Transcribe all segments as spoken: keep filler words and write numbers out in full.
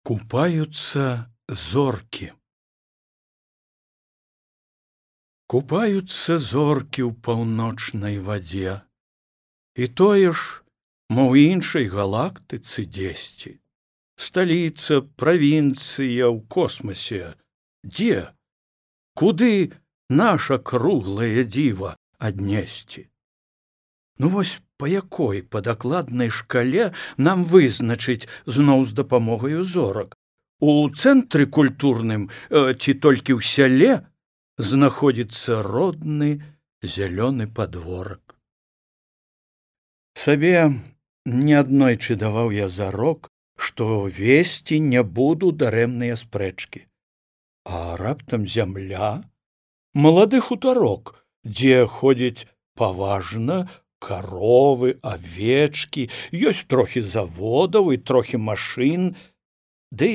Купаются зорки. Купаюцца зоркі ў паўночнай вадзе, і тое ж, мо ў іншай галактыцы дзесьці. Сталіца, правінцыя ў космасе. Дзе? Куды наша круглае дзіва аднесці? Ну вось па якой па дакладнай шкале нам вызначыць зноў з дапамогаю зорак? У цэнтры культурным ці толькі ў сяле знаходзіцца родны зялёны падворак. Сабе неаднойчы даваў я зарок, што весці не буду дарэмныя спрэчкі. А раптам зямля, малады хутарок, дзе ходзіць паважна каровы, авечкі, ёсць трохі заводаў і трохі машын, ды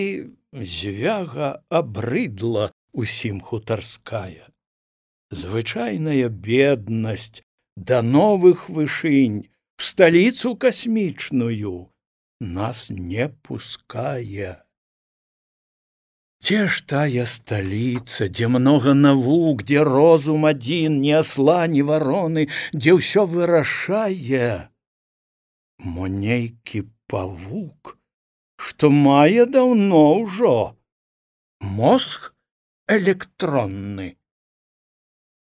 звяга абрыдла усім хутарская. Звычайная беднасць да новых вышынь, в сталіцу касмічную нас не пускае. Дзе ж тая сталіца, дзе многа навук, дзе розум адзін, ні асла, ні вароны, дзе ўсё вырашае? Мо нейкі павук, што мае даўно ўжо мозг электронны.